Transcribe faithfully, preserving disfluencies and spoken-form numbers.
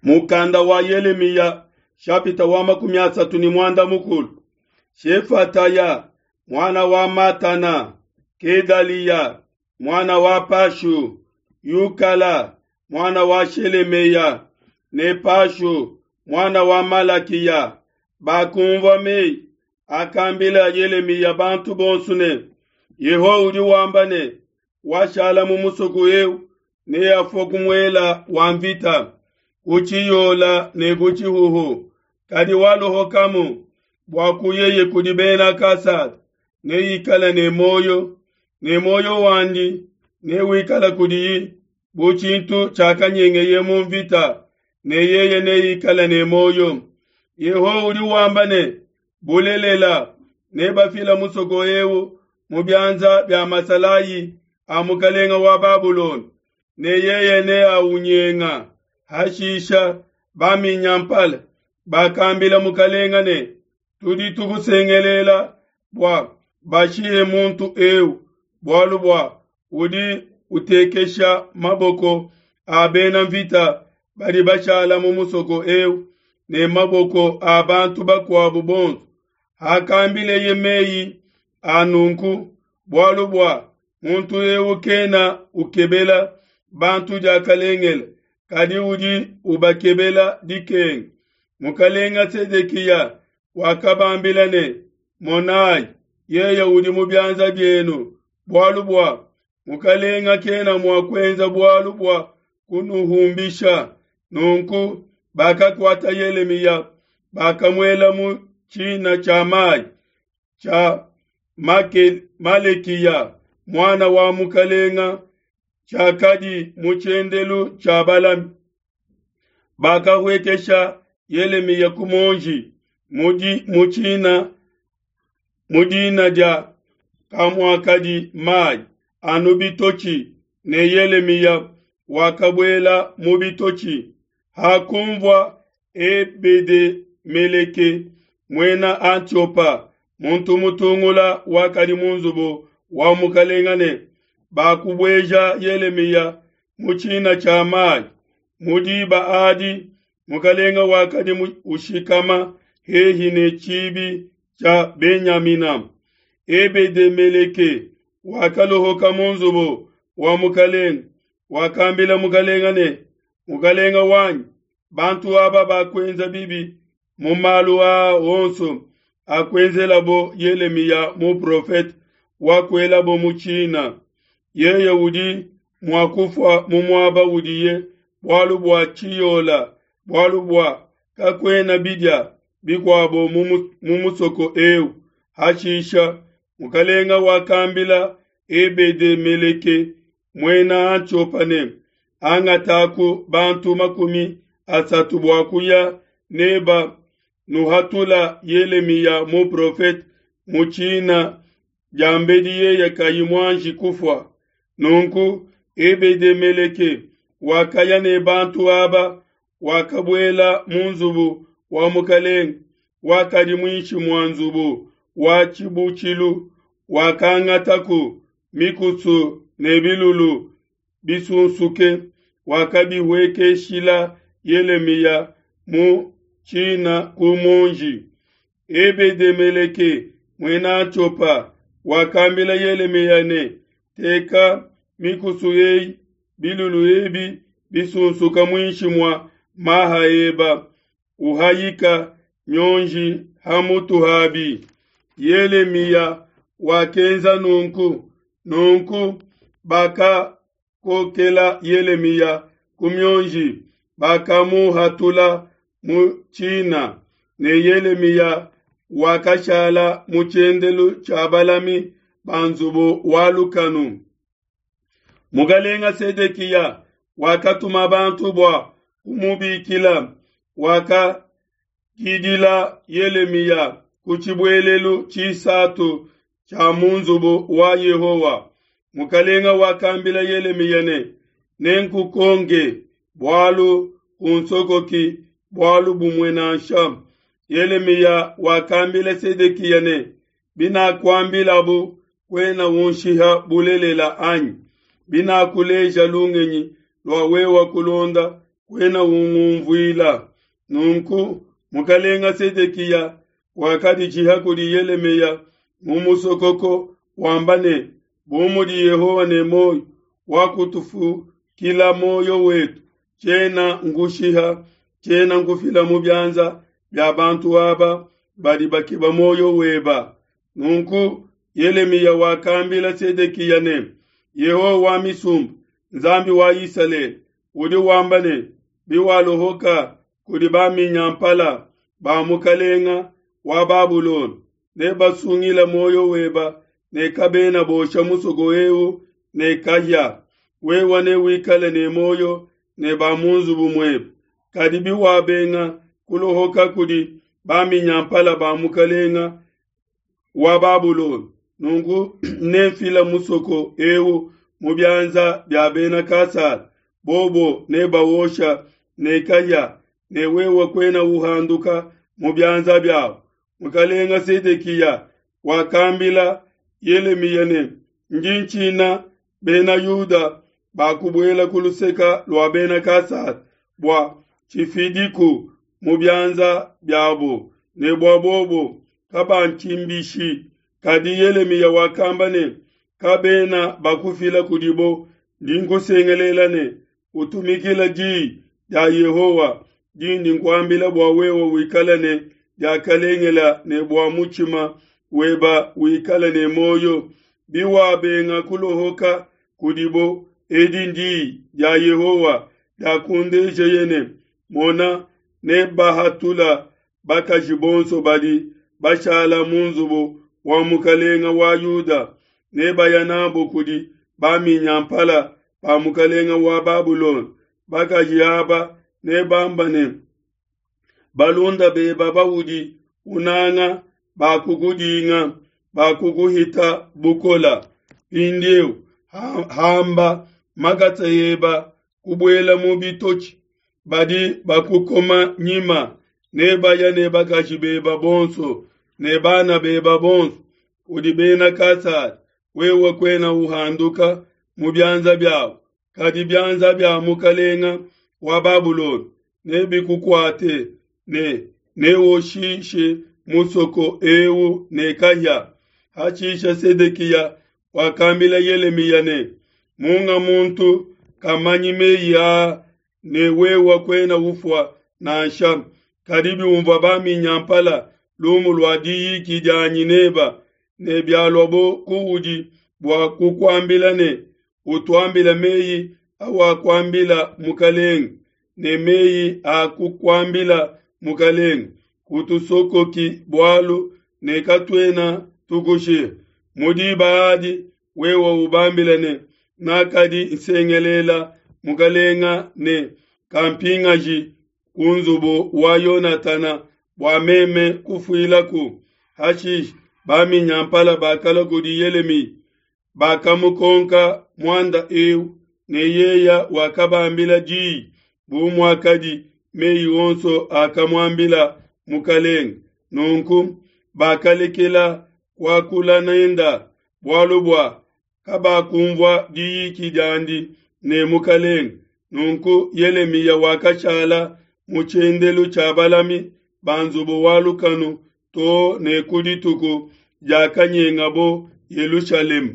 Mukanda wa Yelemiya shapita wa makumi asatu ne muanda mukulu. Shefataya muana wa Matana, Kedaliya muana wa Pashu, Yukala muana wa Shelemeya ne Pashu muana wa Malakiya bakumvua meyi akambila Yelemiya bantu bonso ne, Yehowa udi wamba ne, washala mu musoko eu neafue ku muela wa mvita, ku tshiyola ne ku tshihuhu, kadi walohokamu bua kuyeye kudi Bena Kasada neikale ne muoyo, ne muoyo wandi newikale kudiyi bu tshintu tshiakanyengeye mu mvita, ne yeye neikale ne muoyo. Yehowa udi wamba ne, bulelela nebafile musoko eu mu bianza bia masalayi a mukalenga wa Babulona, ne yeye neaunyenga. Hashisha baminyampala bakambila mukalenga ne, tudi tukusengelela bua bashihe muntu eu, bualu bua udi utekesha maboko a bena mvita badi bashala mu musoko eu ne maboko a bantu bakuabu bonso. Hakambileye meyi a nunku, bualu bua muntu eu kena ukebela bantu diakalengele, kadi udi ubakebela dikenga. Mukalenga Sedekiya wakabambila ne, monai, yeye udi mu bianza bienu, bualu bua mukalenga kena mua kuenza bualu bua kunuhumbisha. Nunku bakakuata Yelemiya, bakamuela mu tshina tshia mai tshia Malekiya muana wa mukalenga, tshiakadi mu tshiendelu tshia balami. Bakahuekesha Yelemiya ku muonji mu tshina mu dina dia kamuakadi mai anu bitotshi, ne Yelemiya wakabuela mu bitotshi. Hakunvua Ebede-Meleke muena Atiopa, muntu mutungula wakadi mu nzubu wa mukalenga ne bakubueja Yelemiya mu tshina tshia mai, mu diba adi mukalenga wakadi ushikama hehi ne tshibi tshia Benyamina. Ebede-Meleke wakalohoka mu nzubu wa mukalenga, wakambila mukalenga ne, mukalenga wanyi, bantu aba bakuenza bibi mu malu aa onso akuenzelabo Yelemiya muprofete wakuelabo mu tshina. Yeye udi mua kufua mu muaba udiye bualu bua tshiyola, bualu bua kakuena bidia bikuabo mu musoko eu. Hashisha mukalenga wakambila Ebede-Meleke muena Atiopa ne, angataku bantu makumi asatu bua kuya neba nuhatula Yelemiya muprofete mu tshina diambedi yeye kayi muanji kufua. Nunku Ebede-Meleke wakaya ne bantu aba, wakabuela mu nzubu wa mukalenga wakadi muinshi mua nzubu wa tshibutshilu, wakangataku mikusu ne bilulu bisunsuke, wakabihuekeshila Yelemiya mu tshina ku muonji. Ebede-Meleke muena Atiopa wakambila Yelemiya ne, teka mikusu eyi bilulu ebi bisunsuka muinshi mua maha eba, uhayika mionji ha mutu habi. Yelemiya wakenza nunku. Nunku bakakokela Yelemiya ku mionji, bakamuhatula mu tshina, ne Yelemiya wakashala mu tshiendelu tshia balami ba nzubu wa lukanu. Mukalenga Sedekiya wakatuma bantu bua kumubikila, wakakidila Yelemiya ku tshibuelelu tshisatu tshia mu nzubu wa Yehowa. Mukalenga wakambila Yelemiya ne, nenkukonke bualu kunsokoki bualu bumue nansha. Yelemiya wakambila Sedekiya ne, binakuambilabu kuena unshiha bulelela anyi? Binakuleja lungenyi lua wewa kulonda kuena ungumvuila. Nunku mukalenga Sedekiya wakaditshiha kudi Yelemiya mu musokoko wamba ne, Bu mudi Yehowa ne muoyo, wakutufukila muoyo wetu, tshiena nkushiha, tshiena nkufila mu bianza bia bantu aba badi bakeba muoyo weba. Nunku Yelemiya wakambila Sedekiya ne, Yehowa wa misumba, Nzambi wa Isalele, udi wamba ne, Biwalohoka kudi baminyampala ba mukalenga wa Babulona, nebasungile muoyo weba ne kabena bosha musoko eu ne kahia. Wewe newikale ne muoyo ne ba mu nzubu muebe. Kadi biwabenga kulohoka kudi baminyampala ba mukalenga wa Babulona, nunku nemfila musoko eu mu bianza bia bena Kasada, bobo nebawosha ne kahia, ne wewe kuena uhanduka mu bianza biabo. Mukalenga Sedekiya wakambila Yelemiya ne, Ndi ntshina bena Yuda bakubuela ku luseke lua bena Kasada bua tshifidiku mu bianza biabo, ne bua bobo kabantshimbishi. Kadi Yelemiya wakamba ne, Kabena bakufila kudibo, ndi nkusengelela ne, utumikile diyi dia Yehowa dindi nkuambila bua wewe wikale ne diakalengela ne bua mutshima weba wikale ne muoyo. Biwabenga kulohoka kudibo, edi ndiyi dia Yehowa diakundejeye ne, Mona, nebahatula bakaji bonso badi bashala mu nzubu wa mukalenga wa Yuda, nebaya nabo kudi baminyampala ba mukalenga wa Babulona. Bakaji aba nebamba ne, balunda beba baudi unanga bakukudinga, bakukuhita bukola. Mpindieu hamba makasa eba kubuela mu bitotshi, badi bakukoma nyima, nebaya ne bakaji beba bonso ne bana beba bonso kudi bena Kasada. Wewe kuena uhanduka mu bianza biabo, kadi bianza bia mukalenga wa Babulona nebikukuate ne newoshishe musoko eu ne kahia. Hashishe Sedekiya wakambila Yelemiya ne, Munga muntu kamanyi meyi aa ne wewe kuena ufua nansha. Kadi biumvua baminyampala lumu lua diyiki dianyi neba, ne bialuabo kuudi bua kukuambila ne, utuambile meyi awakuambila mukalenge, ne meyi a kukuambila mukalenge, kutusokoki bualu ne katuena tukushiha. Mu diba adi wewe ubambile ne, nakadi nsengelela mukalenga ne kampingaji ku nzubu wa Yonatana bua meme kufuilaku. Hashishe baminyampala bakalua kudi Yelemiya, bakamukonka muanda eu, ne yeya wakabambila diyi bu muakadi meyi onso akamuambila mukalenge. Nunku bakalekela kuakula nenda, bualu bua kabakumvua diyiki diandi ne mukalenge. Nunku Yelemiya wakashala mu tshiendelu tshia balami ba nzubu wa lukanu too ne ku dituku diakanyengabo Yelushalema.